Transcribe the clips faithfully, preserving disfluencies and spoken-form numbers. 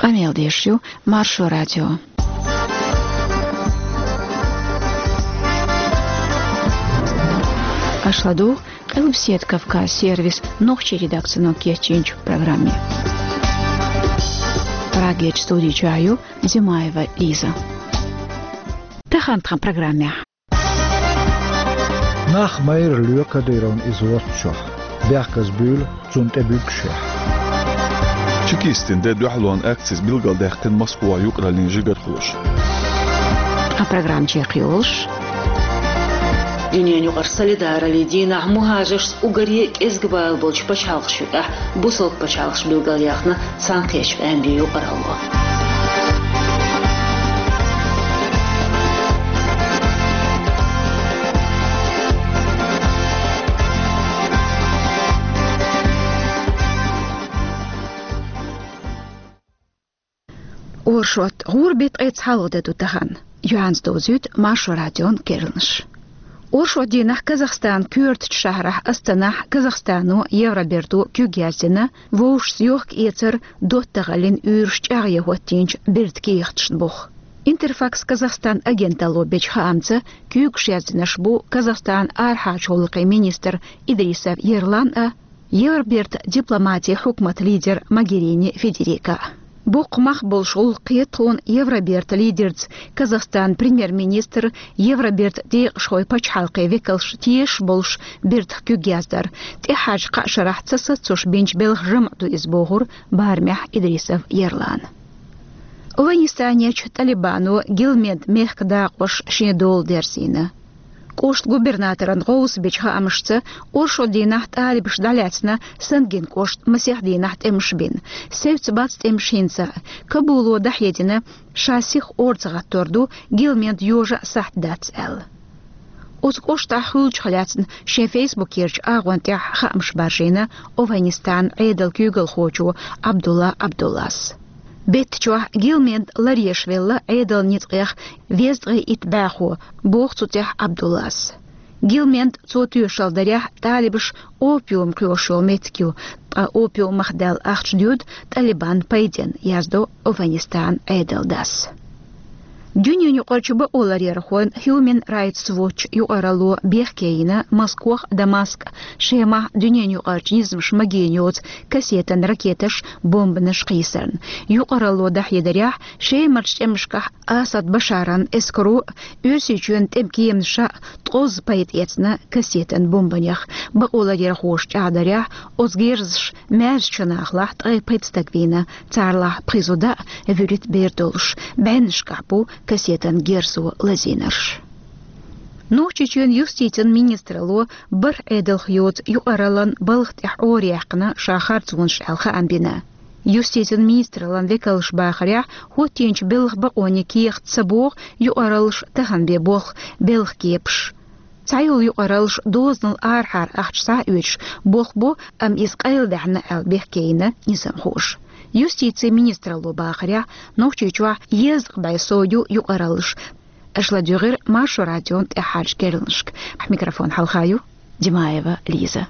Къамел деш ю Маршо радио. Аша ладугӀу Къилбаседа Кавказ сервисан нохчийн редакцино кечйинчу программе. Прагерчу студи чохь ю Димаева Лиза. Тахана тхан программехь. Нах майра лоь Кадыровна иза воцучохь, бехказа буьйлу цунна тӀе буьгушехь. Чекистийн де дуьхьалонан акцис билгалдаьккхина Москвахь юкъараллин жигархоша. Тхан программа чекхйолуш. Дуьненан юкъара солидараллин дийнахь мухӀажаршца уггаре а кӀезга бала болчу пачхьалкхашна юкъахь бусалба пачхьалкхаша билгалъяьхна цхьаьнакхеттачу къаьмнийн юкъаралло. Оршот, гӀуран беттан ткъе цхьалгӀа де ду тахана. Юьхьанца довзуьйту Маршо радион керланаш. Оршот дийнахь Казахстанан коьртачу шахьарахь Астанахь Казахстано, Евроберто куьг яздина, вовшашца йохка-эцар, доттагӀаллин уьйраш чӀагӀъян хӀоттийначу бертан кехаташна буха. Интерфакс Казахстан агенталло бечу хаамца, куьйгаш яздинарш бу Казахстанан арахьарчу гӀуллакхийн министр Идрисов Ерлан а, Евробертан дипломатин хьукматан лидер Могерини Федерика. Боккха мах болуш гӀуллакх кхета тхуна Евробертан лидерца Казахстанан премьер-министр, Евробертан декъашхой, пачхьалкхийн векалш тешаш болуш бертах куьг яздар. ТӀехьарчу кхаа шарахь ца сацош бинчу белхан жамӀ ду иза, бохура барамехь Идрисов Ерлана. ОвхӀанистанерчу ТӀалибано Гилмед мехкан дакъош шен дола дерзийна. КӀоштан губернаторан гӀовс бечу хаамашца, оршот дийнахь тӀалибаша дӀалаьцна Сангин кӀоштан масех дийнахь тӀемаш бина. Севцца бац тӀемаш хӀинца а. Кабуло дӀахьедина, ша сиха орца гӀаттор ду, Гилмед йожа а сахьт дац аьлла. Оцу кӀоштахь хуьлучух лаьцна шен фейсбукерчу агӀон тӀехь хаамаш баржийна ОвхӀанистанан Ӏедалан куьйгалхочо Абдулла Абдуллас. Беттачохь Гилмед ларъеш велла Ӏедалан ницкъех везткъе итт бӀаьхо, боху цу тӀехь Абдуллас. Гилмед цо тоьшалла дарехь, тӀалибаш опиум кхоьхьуш йолу меттиг ю, ткъа опиумах даьлла ахча доьду ТӀалибанна пайденна, яздо ОвхӀанистанан Ӏедалан дас. Дуьненан юкъарчу бакъоларъярхойн Human Rights Watch юкъаралло бехке йина Москох а, Дамаск а, Шемахь дуьненан юкъарчу низамаша магийна йоцу кассетан ракеташ, бомбанаш кхийсарна. Юкъаралло дӀахьедарехь, Шемарчу тӀемашкахь Асад Башаран эскаро Оьрсийчоьнан тӀеман кеманаша ткъозза пайда эцна кассетан бомбанех. Бакъоларъярхоша чӀагӀдарехь, оцу герзаша маьршачу нахалахь ткъе пхи стаг вийна, царалахь пхи зуда а, вуьрхӀитта бер долуш. БӀеннашкахь бу кассетан герзо лазийнарш. Нохчийчоьнан юстицин министралло бархӀ Ӏедалх йоцу юкъараллан балха тӀехь Ӏораяьккхина ша харцонаш аьлла хаам бина. Юстицин министраллан векалша бахарехь, хӀоттийначу белхан бакъонийн кехат ца боху юкъараллаш тахана бен болх белхан кепаш. Цхьайолу юкъараллаш дозанал арахьара ахча схьа а оьцуш болх бо, амма иза къайладаьхьна аьлла бехке йина низамхоша. Юстицин министралло бахарехь, Нохчийчохь езткъа бӀе сов ю юкъараллаш. Аша ладуьйгӀира Маршо радион тӀаьххьарчу керланашка. Микрофон хьалха ю Димаева Лиза.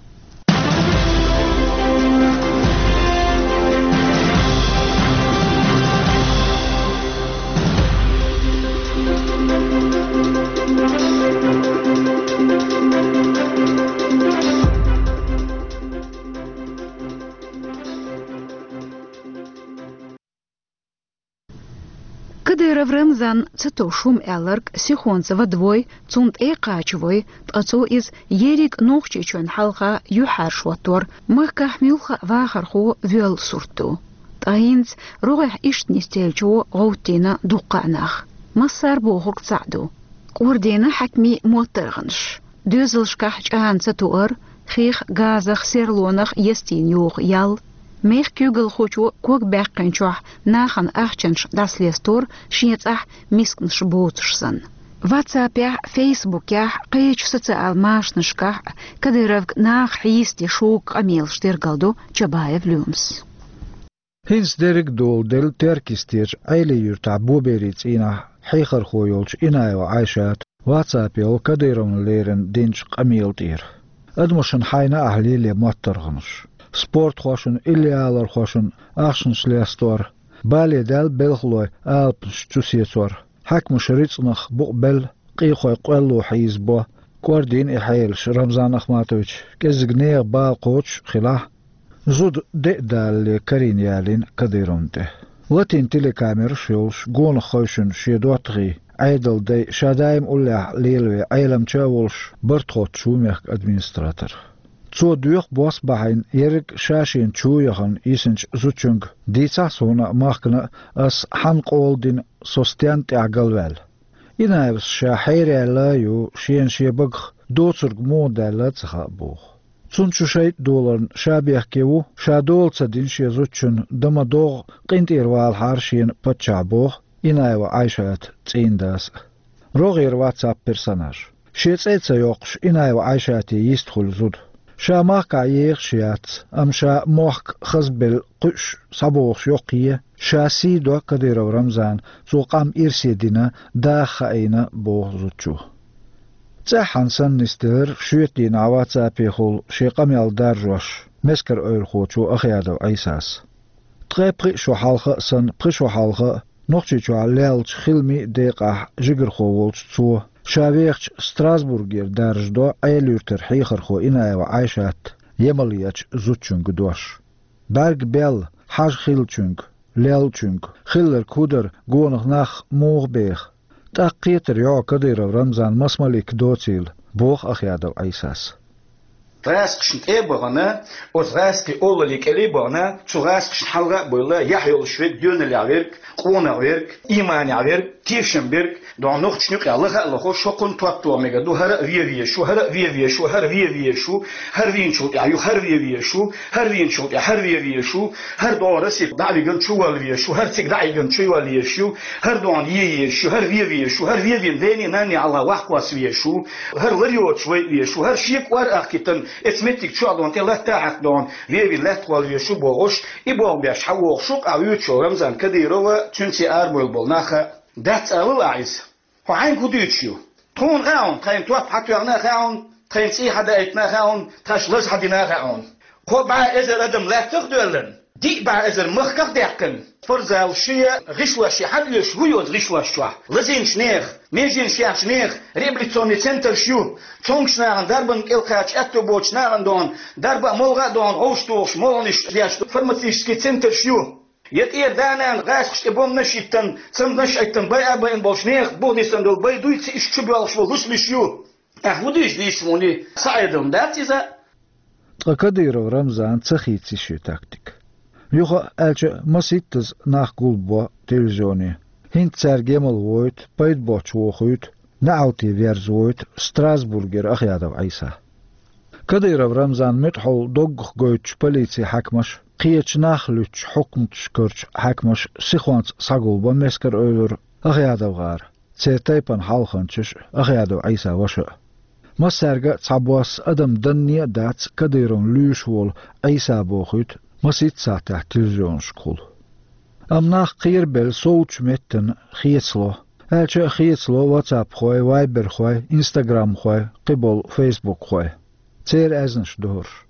Кадыров Рамзан ца товш хӀума аьлларг сихонца вадавой, цунна тӀе а кхачавой, ткъа цо иза ерриг Нохчийчоьнна хьалха юьхьӀаьржа хӀоттор, махкахь муьлхха а вахархо воьлла сурт ду. Ткъа хӀинца рогӀехь иштта нисделлачо гӀовттийна дуккха а нах. Массара бохург цхьаъ ду. КӀордийна хьаькамийн моттаргӀанаш. Доьзалшкахь чӀана ца туур, хих, газах, серлонах естийна йоху ял, мехкан куьйгалхочо ког баьккхинчохь нахана ахчанаш дӀасалестор шен цӀахь мисканаш боцуш санна. Ватсапехь, фейсбукехь, кхечу социал машанашкахь Кадыровга наха хьийсаде шуьга къамелаш тергалдо Чабаев Лемас. ХӀинца дерриг а доладелла Теркйистерчу Ӏелий-Юьртахь Боберийн цӀийнахь хьехархо йолчу Инаева Ӏайшата ватсапехь Кадыровна леррина динчу къамела тӀера. Адамашна хьайна ахь лело моттаргӀанаш. Спортхошна, иллиалархошна ахчанаш лестор, Бале даьлла белхалой алапаш чу сецор. Хьаькамаша рицкъанах букъ белла, къехой къоьлло хьийзабо, кӀордийна и хьелаш Рамзан Ахматовича, кӀеззиг нехан бала кхочуш хилахь а, зуда де а далале карийна ялийна Кадыровна тӀе. Латийна телекамераш а йолуш, гонах хевшина шен доттагӀий, Ӏедалан дай ша даим уллехь лелаве Ӏеламча а волуш, Бартхоцчу ву мехкан администратор. Цо доьху бос бахьийна ерриг а ша шена чу яхана йисинчу зудчуьнга, дийцахьа суна а, махкана а, ас хьанна къола дина, со стенна тӀехь галваьлла. Инаевс ша хьераьлла а ю, шена шен багах доцург муха даьлла а ца хаьа боху. Цунна чу шайтӀа доларна ша бехке ву, ша дола ца дина шен зудчунна, дан ма догӀу, къинтӀера валахьара шена паччахь боху Инаева Ӏайшата цӀийнан дас а. РогӀера WhatsApp персонаж. Шен цӀе а ца йоккхуш, Инаева Ӏайшате йистхуьлу зуда. Ша махкахь ехаш яц, амма ша мохк хазбелла кхуьуш схьабогӀуш йоккхае, ша сий до Кадыров Рамзана, цо къам ирсе дина, даха хаийна, боху зудчо. ЦӀеххьана санна нисделира шоьтан дийнахь WhatsApp-ехула шен къамел даржош мескарейлахочо Ахъядов Ӏийсас. Ткъе пхи шо хьалха а санна, пхи шо хьалха а, Нохчийчохь леллачу хиламийн а декъахь жигархо волчу цо, ша вехачу Страсбургера даржадо Ӏела-Юьртара хьехархо Инаева Ӏайшата Ямалечу зудчуьнга дош. БӀаьрг белла, хьажа хиллачуьнга, леллачуьнга, хилларг хӀун дара, гонах нах муха беха? ТӀаккха кхетар йо Кадыров Рамзан маса малик доцийла, боху Ахъядов Ӏийсас. ГӀаскхашна тӀе а бахана, оцу гӀаскхийн олаллин кӀеле а бахана, цу гӀаскхашна хьалха а бевлла, яхь йолуш верг, доьналлехь верг, къонах верг, ийманехь верг, тешам берг, догӀу нохчашна юкъахь лаха а лохуш, хӀокхунна топ тоха мегар ду, хӀара а вен везаш ву, хӀара а вен везаш ву, хӀара вен везаш ву, хӀара вийначул тӀаьхьа юха хӀара вен везаш ву, хӀара вийначул тӀаьхьа хӀара вен везаш ву, хӀара догӀу Россе дӀа а вигна чу вала везаш ву, хӀара цига дӀа а вигна чу вала везаш ю, хӀара догӀу е езаш ю, хӀара вен везаш ву, хӀара вен вен дений, нанний хьалха вахкхосса везаш ву, хӀара лар йоцуш вай везаш ву, хӀара шен кӀор а ахкийтина, эцу меттиг чохь догӀу тӀе латта а хьаькхна догӀу, вен вен лаьттах вала везаш ву бохуш, и болх беш хьан вогӀуш ву, къа вуьйцу Рамзан Кадырова, цуьнца арабевлла болу нах а. Дац алал ахь иза. Хьо хьаьнга хӀун дуьйцуш ю? Тхуна хаьа хьуна, тхайна топ хьан тоьхна а хаьа хьуна, тхайна цӀий хьан даийтина а хаьа хьуна, тхаьш лаза хьан дина а хаьа хьуна. Кхо бӀе эзар адам лаьттах а доьллина, диъ бӀе эзар махках а даьккхина. Спортзал шен гӀишлош шен хьан оьшу, хӀун йоцу гӀишлош чохь? Лазийначу нехан, меженаш яьхначу нехан реабилитационный центраш ю. Цомгуш нахана, дарбанна кӀелхьарчу аьтто боцучу нахана догӀу, дарба а, молха а догӀу, гӀовш тухуш, молханаш деш ду, фармацевтический центраш ю. Я тӀера да-нана гӀаскхаш тӀе бомбанаш а йиттина, цамданаш а Ӏиттина, байа а байина болчу нехан бухадисина долу бай дуй, ци иштта чу боьлхуш болу лусалиш ю? Ахь хӀун дийша дийша суна? Сан Ӏедална дац иза? Ткъа Кадыров Рамзана ца хийци шен тактика. Юха а аьлча, масийттаза нах гулбо телевизионе. ХӀинца цаьрга емал войту, пайда боццуш вохуьйту, неӀалте верза войту Страсбургера Ахъядов Ӏийса. Кадыров Рамзан муьтӀахьалла доггах гойтучу полицин хьаькамаша, кхечу нах луьттучу хьукматашкарчу хьаькамаша сихонца схьагулбо Мескарейлара, АхъядовгӀара, церан тайпана хьалханчаш а, Ахъядов Ӏийсан ваша а. Массаьрга а цхьабосса адам данне а дац Кадыровна луьйш волу Ӏийса бохуьйту масийтта сахьтехь телевизионашкахула. Амма нах кхерабелла совцучу меттана хецало, аьлча а хецало ватсапхой, вайберхой, инстаграмхой, кхиболу фейсбукхой. Церан аьзнаш дохуш.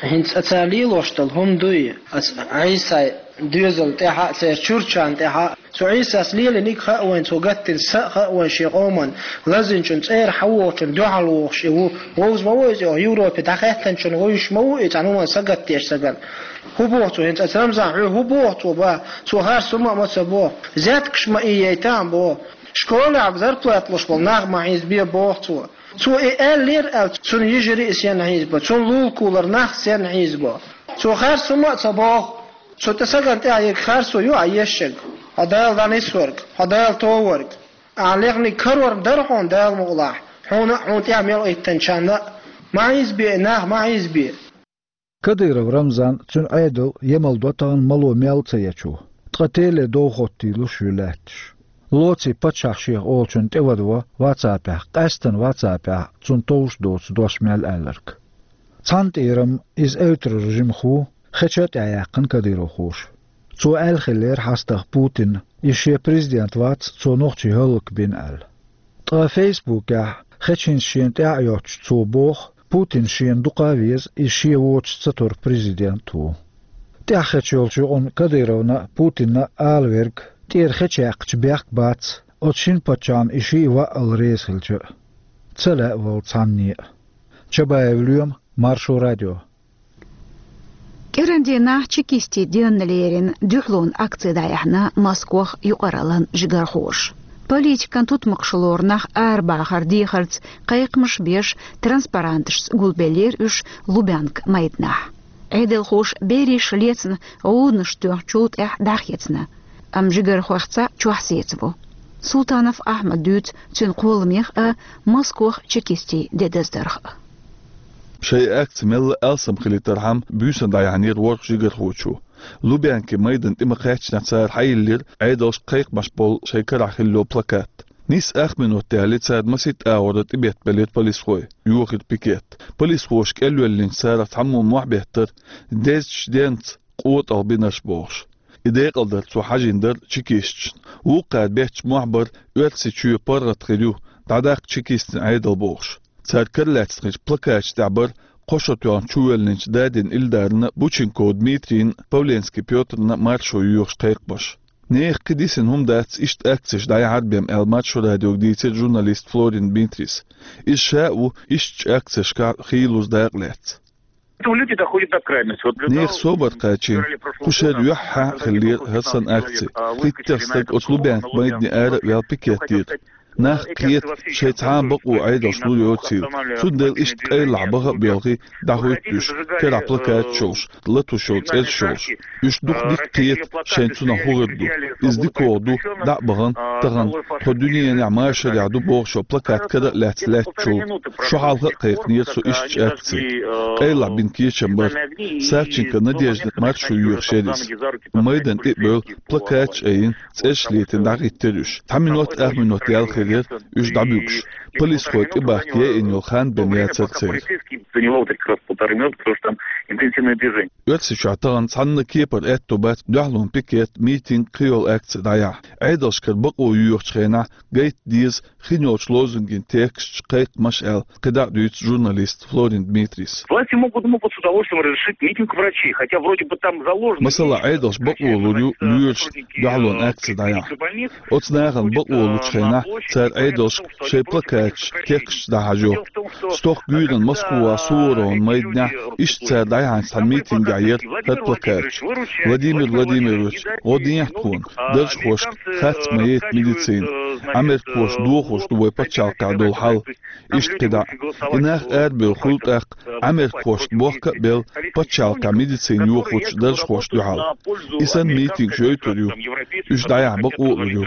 ХӀинца аса лелош долу хӀума дуй, аса Ӏийсай доьзал тӀехьа а, церан чурчан тӀехьа а. Цу Ӏийсас лелийниг хаьа вайн, цо гаттина са а хаьа вайн шен къоман, лазинчун цӀера хьан вохучун дуьхьал вохуш и ву. Вовза ма ву иза, оха Европе дӀахаьттанчун вуьйш ма ву и цхьана хӀуман сагатдеш сагана. ХӀун боху цо хӀинца аса Рамзан, хьоьга хӀун боху цо, ба? Цо харц хӀума а ма ца боху. Зеткаш ма ийяйтахьа боху. Школехь зарплата луш болу нах ма хьийзабе боху цо. Цо и аьллера аьлла, цунна йижарий а сенна хьийзабо, цунна лулакулара нах сенна хьийзабо. Цо харц хӀума а ца боху. Цу тӀе сагана тӀехь ерг харцо ю, Ӏа ешшаг. Хьо Дала дӀанисварг, хьо Дала товарг. Ахьа лехниг карор дара хьуна Дала мукъалахь, хьуна а, хьуна тӀехь мел Ӏиттанчарна а. Ма хьийзабе и нах, ма хьийзабе. Кадыров Рамзан, цуьнан Ӏедал емал до тахана мало мел ца ечу. Ткъа теле дов хӀоттийла шу лаьтташ. Лоций паччахь шех олучун тӀевадво ватсапехь, къаьстана ватсапехь цунна товш доцу дош мел аьлларг. Цхьана тӀера-м иза эвтаран жимаху, хеча а тӀаьхьаяьккхина кадыровхоша. Цо аьлла хиллера хьастагӀа Путинна, иза шен президент вац, цо нохчий хӀаллакбина аьлла. Ткъа фейсбукехь, хеча хӀинца шена тӀаьхьа а йоцуш, цо боху, Путин шена дукха а веза, иза шен воцуш ца тур президент ву. ТӀехьа хеча йолчу юкъанна Кадыровна а, Путинна а ала верг, тӀера хеча яьккхича бехк бац, оцу шина паччахьна и шиъ ваъал реза хилча а. Ца лаьа вала цхьанне а. Чабаев Лоьма, Маршо радио. КӀиран дийнахь чекистийн денна лерина дуьхьалонан акци дӀаяьхьна Москвахь юкъараллин жигархоша. Политикан тутмакхаш лору нах арабахар дехарца кхайкхамаш беш, транспаранташца гулбеллера уьш Лубянка майданахь. Ӏедалхоша бераш лецна гӀуданаш тоьхначул тӀаьхьа дӀахецна, амма жигархойх цхьаъ чохь сецаву. Султанов Ахьмада дуьйцу цуьнан кхолламех а, Москвахь чекистийн де даздарх а. Шайн акци мелла а алсам хилийтархьама, буьйсанна дӀаяьхьнера ворхӀ жигархочо. Лубянкин майданна тӀе ма-кхаьччинехь цара хьайиллира Ӏедалшка кхайкхамаш болу шайн карахь хилла йолу плакат. Нийсса ах минот яьлча цара масийтта агӀор тӀебеттабелира полисхой, йохира пикет. Полисхоша кӀелвеллинчу царах цхьаммо мохь беттара: «Дезачу денца къотӀалла бинарш», — бохуш. И декъалдар цо хьажийна дара чекисташна. Вукхара бетташ мохь бара: «Оьрсийчоь паргӀат хир ю, дӀадаккха чекистийн Ӏедал», — бохуш. Цара каралаьцнарчу плакаташ тӀехь бара кхо шо тоьхна чувоьллинчу Дадин Илдарна, Бученков Дмитрийна, Павленский Пётрна маршо йоьхуш кхайкхамаш. Нехан кхин дисина хӀума дац иштта акцеш дӀаяхьар бен аьлла, Маршо радиога дийцира журналист Флорин Дмитрийс. Иза ша а ву ишттачу акцешкахь хийлазза дакъа лаьцна. Люди доходят до крайности. Вот для Нехан того, собар кхачийна. Кху шеран юьххьехь хиллера хӀара санна акци. Пхийтта стаг оцу Лубянка майдане ара а ваьлла пикет дира. Нах кхета, шайн цхьа а бакъо Ӏедалшна лур йоцийла. Цундела иштта къайлахь баха а боьлхий, дӀахӀуьтту уьш, карахь плакаташ йолуш, латош йолу цӀераш йолуш. Уьш дукха дика кхета, шайна цунах хӀун хир ду. Иза дика вогӀу ду, дӀа а бахана, тахана тхо дуьненахь машарехь ду бохуш йолу плакат кара а лаьцна лаьттачул. Шо хьалха а кхайкхинера со ишттачу акци. Къайлахь бина кечам бара. Савченко Надеждина маршо йоьхуш яра иза. Майдан тӀе а бевлла, плакаташ а айина, цӀераш летийна дӀахӀиттира уьш. Цхьа минот, ах минот яьлла хир яра уьш дӀабуьгуш. Полисхой тӀебахка яйина йолу хан бен яцара церан. Заняло вот как раз полторы минуты, потому что там интенсивное движение. Оьрсийчохь тахана цхьанна кепара аьтто бац дуьхьалонан пикет, митинг, кхин йолу акци дӀаяхьа. Ӏедалшкара бакъо йоьхучу хенахь гайта деза хин йолчу лозунган тексташ, кхайкхамаш аьлла, кхидӀа а дуьйцу журналиста Флорин Дмитрийс. Власти могут, могут с удовольствием разрешить митинг врачей, хотя вроде бы там заложено. Масала, Ӏедалша бакъо лур ю лоьрашна дуьхьалонан акци дӀаяхьа. Оцу нахана бакъо лучу хенахь цара Ӏедалшка шайн плакаташ, тексташ дӀахьажо. Стохка гуьйранна Москвахь Суворовн майданехь иштта цара дӀаяьхьначу цхьана митингехь яра хӀара плакаташ: «Владимир Владимирович, гӀо дехьа тхуна, даржхошка харц ма яйта медицина. Ӏамеркхоша дохош ду вай пачхьалкхехь долу хьал». Иштта кхидӀа а. И нах арабевлла хуьлу тӀаккха, Ӏамеркхошна бохка а белла, пачхьалкхехь медицина йохочу даржхошна дуьхьал. И санна митингаш йойтур ю. Уьш дӀаяхьа бакъо а лур ю.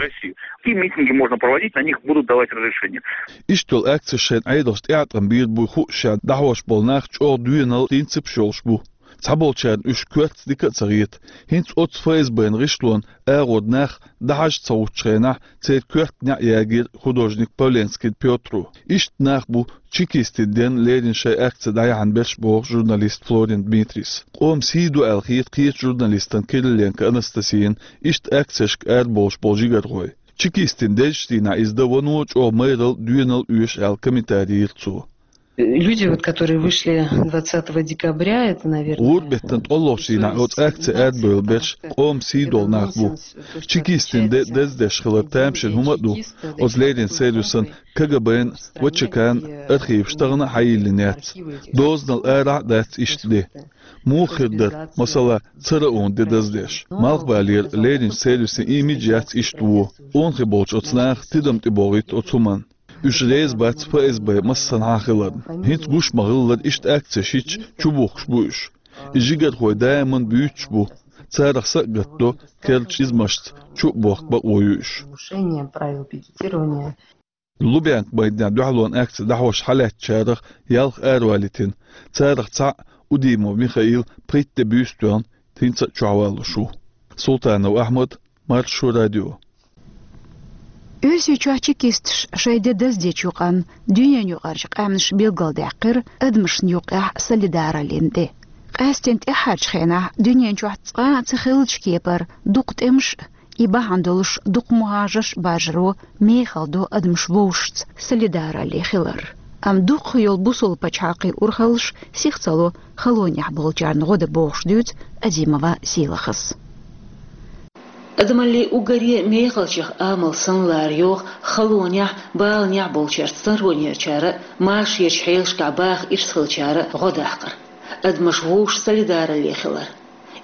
Какие митинги можно проводить, на них будут давать разрешение. Иштта йолу акцеш шайна Ӏедалша тӀеӀаткъам бийр буй хууш, шаьш дӀахьош болу нах чӀогӀа доьналла, принципаш йолуш бу. Цхьаболчарна уьш коьртаца дика а ца хета. ХӀинца оццу ФСБ-н гӀишлонан агӀор нах дӀахьажа ца гӀуттучу хенахь, церан коьрта неӀ ягийра художник Павленский Пётро. Иштта нах бу чекистийн денна лерина шайн акци дӀаяхьна берш, боху журналиста Флорин Дмитрийс. Къоман сий ду аьлла хета кхечу журналистана Кириленко Анастасияна иштта акцешка арабовлуш болу жигархой. Чекистийн дезачу дийнахь иза дан вано чӀогӀа майралла, доьналла оьшу аьлла комментари йира цо. Люди, вот, которые вышли двадцатого декабря, это, наверное, ГӀуран беттан ткъолгӀачу дийнахь оцу акци арабевлла берш къоман сий долу нах бу. Чекистийн де даздеш хилар тамашийна хӀума а ду. Оцу леррина сервисан, КГБ-н, ВЧК-н архиваш тахана а хьайиллина яц. Дозанал арахь а дац иштта де. Муха хир дара, масала, цара онан де даздеш? Малхбалера лерринчу сервисан имидж яц иштта вон. Онан хи болчу оцу наха тидам тӀебогӀуьйту оцу хӀуманна. Уьш реза бац ФСБ массанхьа а хиларна. ХӀинца гуш ма-хиллара, иштта акцеш йича, чубухкуш бу уьш. И жигархой даиман буьйцуш бу. Царах са а гатдо, керлачу низамашца чу а бохка бакъо ю уьш. Нарушение правил пикетирования. Лубянка майданехь дуьхьалонан акци дӀахьош хьалаьцначарах ялх аравалийтина. Царах цхьаъ, Удимов Михаил, пхийтта де буьйса тоьхна, хӀинца а чохь валлуш ву. Султанов Ахьмад, Маршо радио. Оьрсийчохь чекисташ шайн де даздечу юкъанна дуьненаюкъарчу къаьмнаша билгалдаьккхира адамашна юккъехь солидараллин де. Къаьсттина тӀаьххьарчу хенахь дуьнен чохь цкъа а ца хиллачу кепара дукха тӀемаш а, и бахьана долуш дукха мухӀажарш а баржаро мехала до адамаш вовшашца солидаралле хилар. Амма дукха йолу бусалба пачхьалкхийн урхаллаш сиха ца ло халонехь болчарна гӀо дан, бохуш дуьйцу Азимова Сийлахьас. Адамаллин уггаре мехалчех амал санна лара йогӀу халонехь, баланехь болчаьрца, сторонерчара а, машаречу хьелашкахь баха ирс хилчара а гӀо даккхар, адамаш вовшашца солидаралле хилар.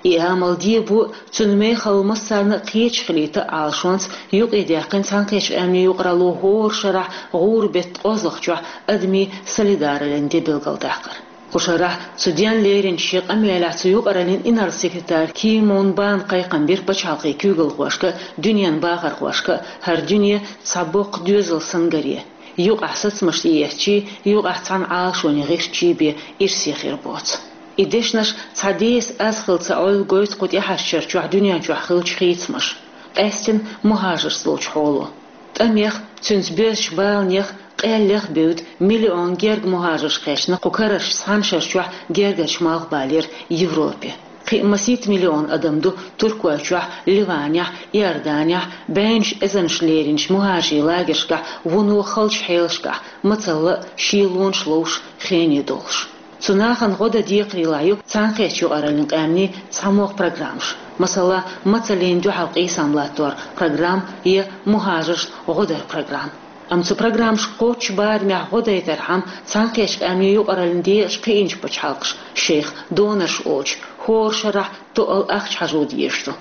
И амал дебо а, цуьнан мехалла массарна а кхеташ хилийта а Ӏалашонца юкъадаьккхина Цхьаьнакхеттачу Къаьмнийн юкъаралло хӀора шарахь гӀуран беттан кхозлагӀчохь адамийн солидараллин де билгалдаккхар. Кху шарахь цу денна леринчу шен къамелехь цу юкъараллин инарла-секретарь Ки Мун Бан кхайкхам бира пачхьалкхийн куьйгалхошка а, дуьненан бахархошка а хӀара дуьне цхьа боккха доьзал санна гаре, юкъахь сацамаш тӀеэцчий, юкъахь цхьана Ӏалашоне гӀиртчий бен ирсе хир боцу. И дешнаш цхьа деса аз хилла ца Ӏойла гойту кху тӀаьхьарчу шарахь дуьнен чохь хиллачу хийцамаша, къаьсттина мухӀажаршца долчу хьоло. ТӀамех, цуьнца боьзначу баланех, къеллех а бевдда, миллион гергга мухӀажарш кхаьчна кху карарчу цхьана шарахь гергарчу Малхбалера Европе. Кхин а масийтта миллион адам ду Туркойчохь, Ливанехь, Иорданехь, бӀеннаш эзарнаш леринчу мухӀажарийн лагершкахь, вуно халчу хьелашкахь, мацалла а, шелонаш ловш, хене долуш. Цу нахана гӀо дан декхарийлахь ю Цхьаьнакхеттачу юкъараллин къаьмнийн цхьамогӀа программаш, масала, мацаллина дуьхьал къийсам латтор программа я мухӀажаршна гӀо дар программа. Амма цу программашка кхоччуш барамехь гӀо дайтархьама, Цхьаьнакхеттачу Къаьмнийн юкъараллин декъашкахь кхиъначу пачхьалкхаша шайх донорш олучу хӀора шарахь тоъал ахча хьажо дезаш ду.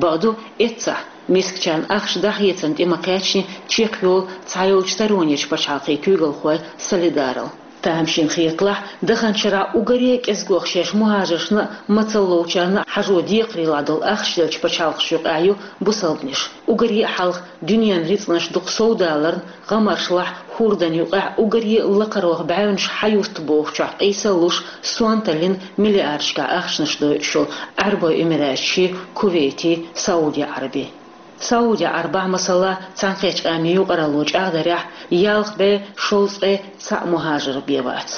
Бакъду, эццахь, мискачарна ахча дӀахецарна тӀе ма-кхаьчний чекхйолу цхьайолчу сторонерчу пачхьалкхийн куьйгалхойн солидаралла. Тамашийна хеталахь, даханчу шарахь уггаре а кӀезигох шаьш мухӀажаршна а, мацалла ловчарна а хьажо декхарийлахь долу ахча деллачу пачхьалкхашна юкъахь ю бусалбанаш. Уггаре а хьалха дуьненан рицкъанаш дукха совдаларна, гӀамарешлахь, хӀордан юкъахь уггаре а лакхарох бӀаьвнаш хьаютту бохучохь къийсалуш, сонталлина миллиардашкахь ахчанаш дойуш йолу Ӏаьрбойн Эмираташий, Кувейтий, Сауди-Ӏарбий. Сауди-Ӏарбахь, масала, Цхьаьнакхеттачу Къаьмнийн юкъаралло чӀагӀдарехь, ялх бӀе шовзткъе цхьаъ мухӀажар бен вац.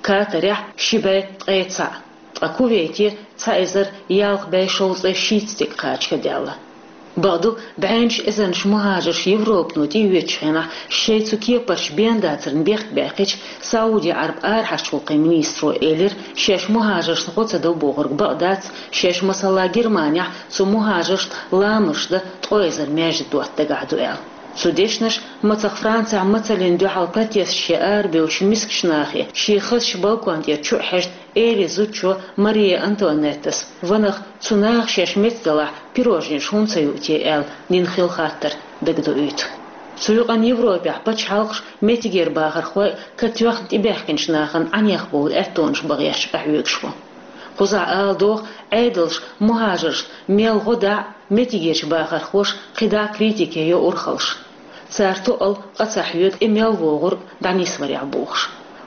Катарехь ши бӀе ткъе цхьаъ. Ткъа Кувейте цхьа эзар ялх бӀе шовзткъе шийтта стаг кхача даьлла. Бакъду, бӀеннаш эзарнаш мухӀажарш Европано тӀеоьцучу хенахь, шайн цу кепарчу бен дацарна бехк баьккхича, Сауди-Ӏарбойн арахьарчу гӀуллакхийн министро элира, шаьш мухӀажаршна гӀо ца до бохург бакъ дац, шаьш, масала, Германехь цу мухӀажаршна ламазаш дан ткъо эзар маьждиг дотта дагахь ду аьлла. Цу дешнаша мацах Францехь мацаллина дуьхьал протесташка арабевллачу мискачу нахе, шен хазачу балкон тӀера чу а хьаьжна, эри зудчо Мария Антуанеттас, ванах, цу наха шаьш меца далахь, пирожнеш хӀунда ца юу те аьлла, нина хилла хаттар дагадоуьйту. Цу юкъанна Европехь пачхьалкхаш, меттигера бахархой а катоьхна тӀебаьхкинчу нахана Ӏанех бовла аьттонаш бан гӀерташ къахьоьгуш бу. Кхузахь ала догӀу, Ӏедалша мухӀажаршна мел гӀо дӀа а, меттигерчу бахархоша кхидӀа а критике йо урхаллаш. Цара тоъал къа ца хьоьгу и мел вогӀург дӀанисварехь бохуш.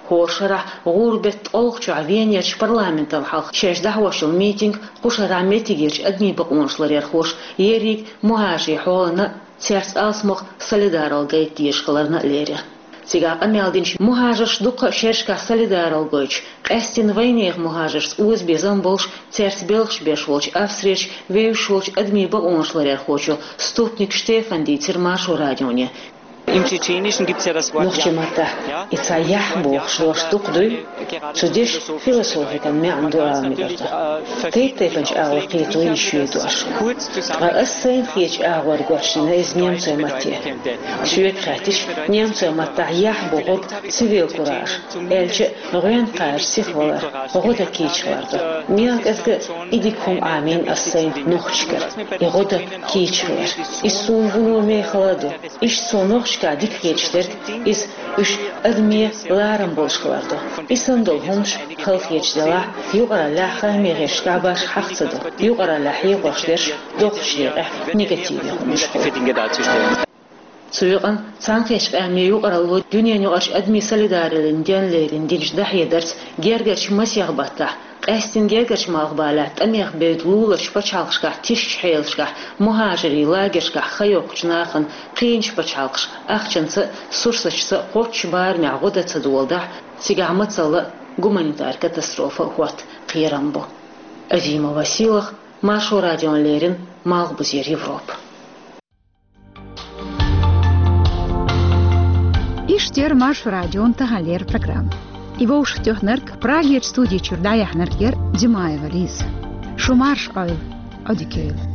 ХӀора шарахь гӀуран беттан ткъолгӀачохь Венерчу парламентал хьалха шаьш дӀахьош йолу митинг кху шарахь меттигерчу адамийн бакъонаш ларъярхоша ерриг мухӀажарийн хьолана а, цаьрца алсамох солидаралла гайта дезаш хиларна а лерира. Цигахь къамел динчу мухӀажарша дуккха а шерашкахь солидаралла гойтуш, къаьсттина вайнехан мухӀажаршца озабезам болуш, цаьрца белхаш беш волчу Австрерчу вевзаш волчу адамийн бакъонаш ларъярхочо Ступник Штефана дийцира Маршо радионе. Im Tschetschenischen gibt es ja das Wort Нохчийн маттахь и цхьа «яхь» бохуш дош дукха дуй? Цу дешан философикан маьӀна ду ала мегар ду. Тайп-тайпанчу агӀор кхето йиш ю и дош. Ткъа ас сайна хетачу агӀор гочдина иза немцойн матте. Соьга хаьттича, немцойн маттахь «яхь» бохург цивил кураж, аьлча а гӀоьнна кхача сихвалар, гӀо дан кийча хилар ду. Мел кӀезга и дика хӀума Ӏамийна ас сайна нохчашкара, и гӀо дан кийча хилар. Иза суна вуно мехала а ду. Иштта цо нохчашкахь дика хеташ дерг иза уьш адамийн ларам болуш хилар ду. И санна долу хӀуманаш хала хеташ делахь, юкъараллехь, хаамийн гӀирсашкахь башха хьаха ца до. Юкъараллехь хьехош дерш доккхачу декъехь негативе хӀуманаш хуьлу. Цу юкъанна Цхьаьнакхеттачу Къаьмнийн юкъаралло дуьненаюкъарчу адамийн солидараллин денна лерина динчу дӀахьедарца гергарчу масех баттахь, къаьсттина гергарчу Малхбалехь тӀамех бевдда луларчу пачхьалкхашкахь тишачу хьелашкахь, мухӀажарийн лагершкахь хан йоккхучу нахана кхиъначу пачхьалкхаша ахчанца а, сурсаташца а кхоччуш барамехь гӀо дан ца доладахь, цигахь мацалла а, гуманитар катастрофа а хӀотта кхерам бу. Азимова Сийлахь, Маршо радиона леррина, Малхбузера Европа. Иштта яр Маршо радион таханлера программа. И вовшахтоьхнарг, Прагера студи чуьра дӀаяьхьнарг яр Димаева Лиза. Шу марша Ӏойла, Ӏодика йойла.